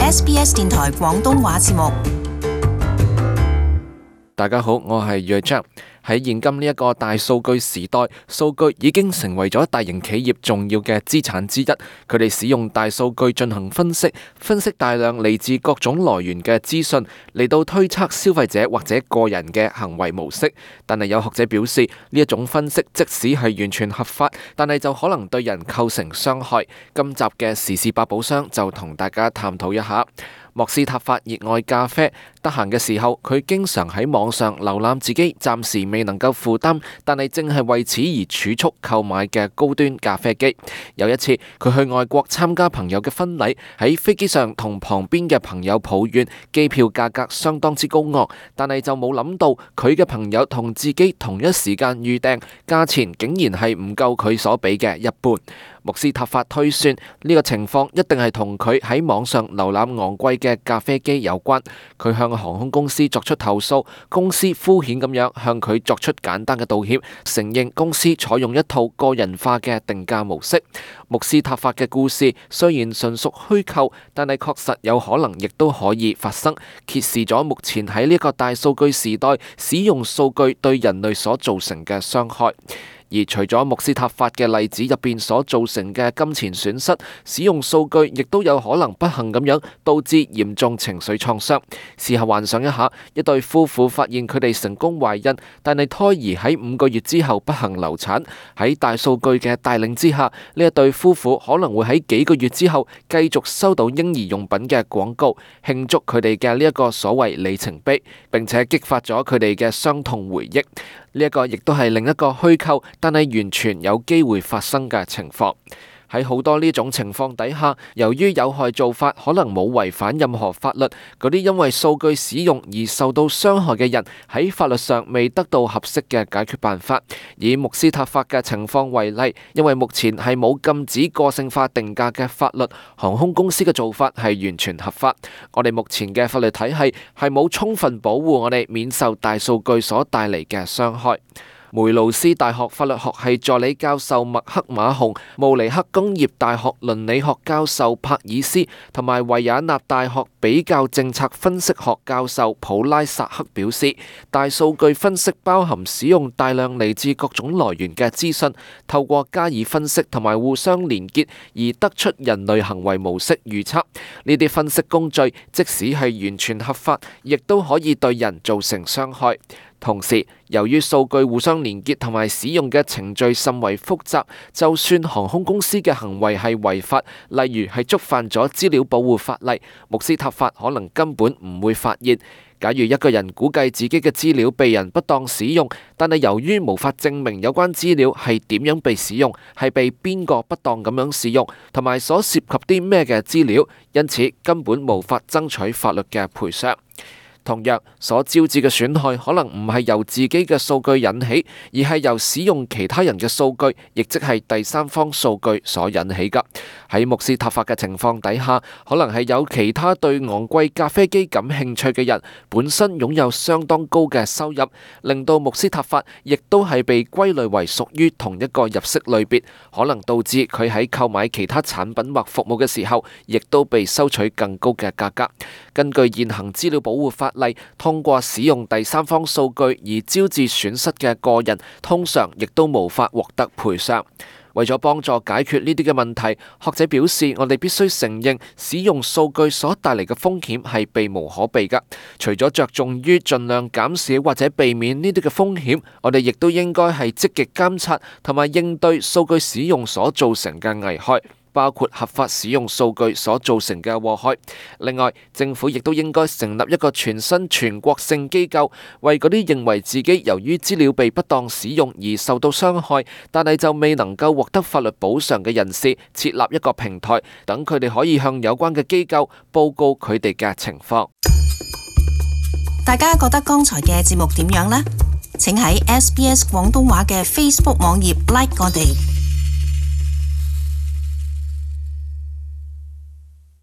SBS 電台廣東話節目。大家好，我係約章。喺現今呢一個大數據時代，數據已經成為咗大型企業重要嘅資產之一。佢哋使用大數據進行分析大量嚟自各種來源嘅資訊，嚟到推測消費者或者個人嘅行為模式。但係有學者表示，呢一種分析即使係完全合法，但係就可能對人構成傷害。今集嘅時事百寶箱就同大家探討一下。莫斯塔法熱愛咖啡，得閒嘅時候，佢經常喺網上瀏覽自己暫時未能夠負擔，但係正係為此而儲蓄購買嘅高端咖啡機。有一次，佢去外國參加朋友嘅婚禮，喺飛機上同旁邊嘅朋友抱怨機票價格相當之高昂，但係就冇諗到佢嘅朋友同自己同一時間預訂，價錢竟然係唔夠佢所俾嘅一半。莫斯塔法推算呢個情況一定係同佢喺網上瀏覽昂貴嘅咖啡機有關。佢向航空公司作出投訴，公司敷衍咁樣向佢作出簡單嘅道歉，承認公司採用一套個人化嘅定價模式。莫斯塔法嘅故事雖然純屬虛構，但係確實有可能亦都可以發生，揭示咗目前喺呢個大數據時代使用數據對人類所造成嘅傷害。而除咗莫斯塔法嘅例子入邊所造成嘅金錢損失，使用數據亦都有可能不幸咁樣導致嚴重情緒創傷。試下幻想一下，一對夫婦發現佢哋成功懷孕，但係胎兒喺5個月之後不幸流產。喺大數據嘅帶領之下，呢一對夫婦可能會喺幾個月之後繼續收到嬰兒用品嘅廣告，慶祝佢哋嘅呢一個所謂里程碑，並且激發咗佢哋嘅傷痛回憶。呢一個亦都係另一個虛構，但係完全有機會發生嘅情況。喺好多呢種情況底下，由於有害做法可能冇違反任何法律，嗰啲因為數據使用而受到傷害嘅人喺法律上未得到合適嘅解決辦法。以莫斯塔法嘅情況為例，因為目前係冇禁止個性化定價嘅法律，航空公司嘅做法係完全合法。我哋目前嘅法律體系係冇充分保護我哋免受大數據所帶嚟嘅傷害。梅魯斯大學法律學系助理教授麥克馬洪、慕尼黑工業大學倫理學教授帕爾斯同埋維也納大學比較政策分析學教授普拉薩克表示，大數據分析包含使用大量嚟自各種來源嘅資訊，透過加以分析同埋互相連結而得出人類行為模式預測。呢啲分析工序即使係完全合法，亦都可以對人造成傷害。同時，由於數據互相連結同埋使用嘅程序甚為複雜，就算航空公司嘅行為係違法，例如係觸犯咗資料保護法例，莫斯塔法可能根本唔會發現。假如一個人估計自己嘅資料被人不當使用，但係由於無法證明有關資料係點樣被使用，係被邊個不當咁樣使用，同埋所涉及啲咩嘅資料，因此根本無法爭取法律嘅賠償。同樣，所招致嘅損害可能唔係由自己嘅數據引起，而係由使用其他人嘅數據，亦即係第三方數據所引起㗎。喺莫斯塔法嘅情況底下，可能係有其他對昂貴咖啡機感興趣嘅人，本身擁有相當高嘅收入，令到莫斯塔法亦都係被歸類為屬於同一個入息類別，可能導致佢喺購買其他產品或服務嘅時候，亦都被收取更高嘅價格。根據現行資料保護法例，通過使用第三方數據而招致損失嘅個人，通常亦都無法獲得賠償。為咗幫助解決呢啲嘅問題，學者表示，我哋必須承認使用數據所帶嚟嘅風險係避無可避㗎。除咗着重於盡量減少或者避免呢啲嘅風險，我哋亦都應該係積極監察同埋應對數據使用所造成嘅危害，包括合法使用數據所造成嘅禍害。另外，政府亦都應該成立一個全新全國性機構，為嗰啲認為自己由於資料被不當使用而受到傷害，但係就未能夠獲得法律補償嘅人士，設立一個平台，等佢哋可以向有關嘅機構報告佢哋嘅情況。大家覺得剛才嘅節目點樣呢？請喺 SBS 廣東話嘅 Facebook 網頁 like 我哋。